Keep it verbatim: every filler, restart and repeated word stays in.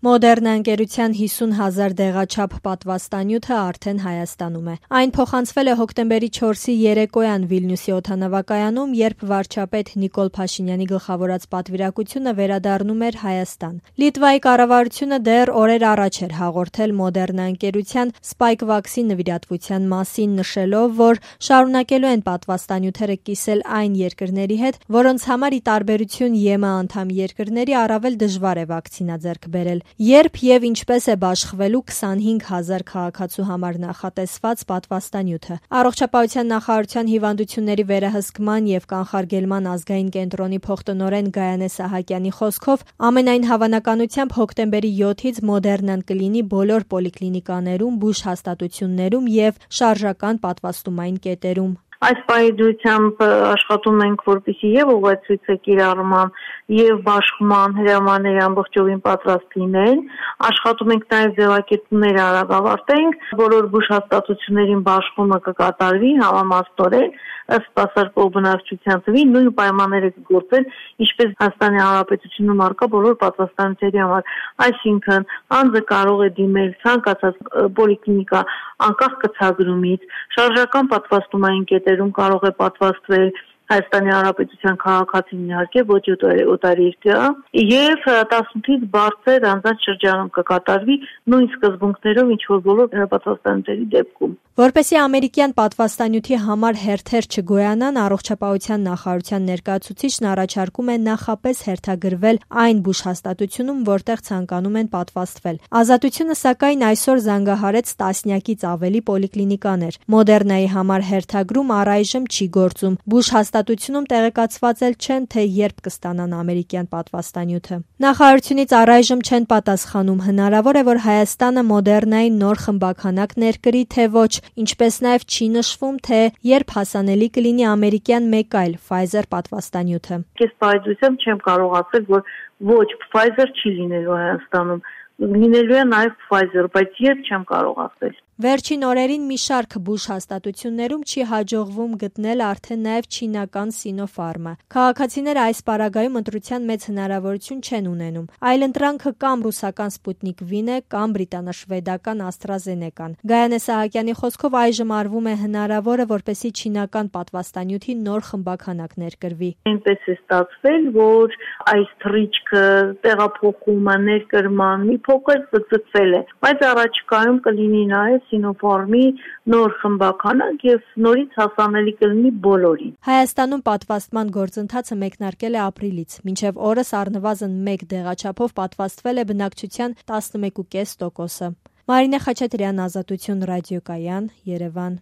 Մոդեռնա ընկերության հիսուն հազար դեղաչափ պատվաստանյութը արդեն Հայաստանում է։ Այն փոխանցվել է հոկտեմբերի չորսի երեկոյան Վիլնյուսի օդանավակայանում, երբ վարչապետ Նիկոլ Փաշինյանի գլխավորած պատվիրակությունը վերադառնում էր Հայաստան։ Լիտվայի կառավարությունը դեռ օրեր առաջ էր հաղորդել Մոդեռնա ընկերության Spikevax-ի նվիրատվության մասին, նշելով, որ շարունակելու են պատվաստանյութերը կիսել այն երկրների հետ, որոնց համար ի տարբերություն ԵՄ անդամ երկրների առավել դժվար է վակցինա ձեռք բերել։ Երբ եւ ինչպես է բաշխվելու քսանհինգ հազար քաղաքացու համար նախատեսված պատվաստանյութը։ Առողջապահության նախարարության հիվանդությունների վերահսկման եւ կանխարգելման ազգային կենտրոնի փոխտնօրեն Գայանե Սահակյանի խոսքով, ամենայն հավանականությամբ հոկտեմբերի յոթից Մոդեռնան կլինի բոլոր պոլիկլինիկաներում, բուժհաստատություններում եւ շարժական պատվաստումային կետերում։ Այս պայմանությամբ աշխատում ենք, որպեսզի եւ ուղեցույցը կիրառման եւ բաշխման հրամանները ամբողջովին պատրաստ լինեն։ Աշխատում ենք նաեւ ձևակերպումները արագ ավարտենք, բոլոր բուժհաստատություններին բաշխումը կկատարվի համամասնորեն ըստ սպասարկող բնակչության թվի, նույն պայմանները կգործեն, ինչպես Հայաստանի Հանրապետությունում առկա բոլոր պատվաստանյութերի համար։ Այսինքն, անձը կարող է դիմել ցանկացած պոլիկլինիկա անկախ կցագրումից, շարժական պատվաստումային կետերում կարող է պատվաստվել Հայաստանի Հանրապետության քաղաքացին, իհարկե ոչ օտարերկրյա, եւ տասնութից բարձր անձանց շրջանում կկատարվի նույն սկզբունքներով, ինչ որ բոլոր պատվաստանյութերի դեպքում։ Որպեսզի ամերիկյան պատվաստանյութի համար հերթեր չգոյանան, առողջապահության նախարարության ներկայացուցիչն առաջարկում է նախապես հերթագրվել այն բուժհաստատությունում, որտեղ ցանկանում են պատվաստվել։ Ազատությունը, սակայն, այսօր զանգահարեց տասնյակից ավելի պոլիկլինիկաներ։ Մոդեռնայի համար հերթագրում առայժմ չի գործում։ Բուժհաստատությունում տեղեկացված էլ չեն, թե երբ կստանան ամերիկյան պատվաստանյութը։ Նախարարությունից առայժմ չեն պատասխանում, հնարավոր է, որ Հայաստանը Մոդեռնայի նոր խմբաքանակ ներկրի, թե ոչ, ինչպես նաև չի նշվում, թե երբ հասանելի կլինի ամերիկյան մեկ այլ Pfizer պատվաստանյութը։ Ես պայծությամբ չեմ կարող ասել, որ ոչ Pfizer չի լինելու Հայաստանում, լինելու է նաև Pfizer, բայց երբ չեմ կարող ասել։ Վերջին օրերին մի շարք բուժհաստատություններում չի հաջողվում գտնել արդեն նաև չինական Sinopharm-ը։ Քաղաքացիները այս պարագայում ընտրության մեծ հնարավորություն չեն ունենում։ Այլընտրանքը կամ ռուսական Sputnik V-ն է, կամ բրիտանա-շվեդական AstraZeneca-ն։ Գայանե Սահակյանի խոսքով այժմ արվում է հնարավորը, որպեսզի չինական պատվաստանյութի նոր խմբաքանակ ներկրվի։ Այնպես է ստացվել, որ այս թռիչքը, տեղափոխումը, ներկրման մի փոքր ձգձգվել է, բայց առաջիկայում կլինի նաև Sinopharm-ի նոր խմբաքանակ եւ նորից հասանելի կլինի բոլորին։ Հայաստանում պատվաստման գործընթացը մեկնարկել է ապրիլից։ Մինչև օրս առնվազն մեկ դեղաչափով պատվաստվել է բնակչության տասնմեկ կես տոկոսը։ Մարինե Խաչատրյան, Ազատություն ռադիոկայան, Երևան։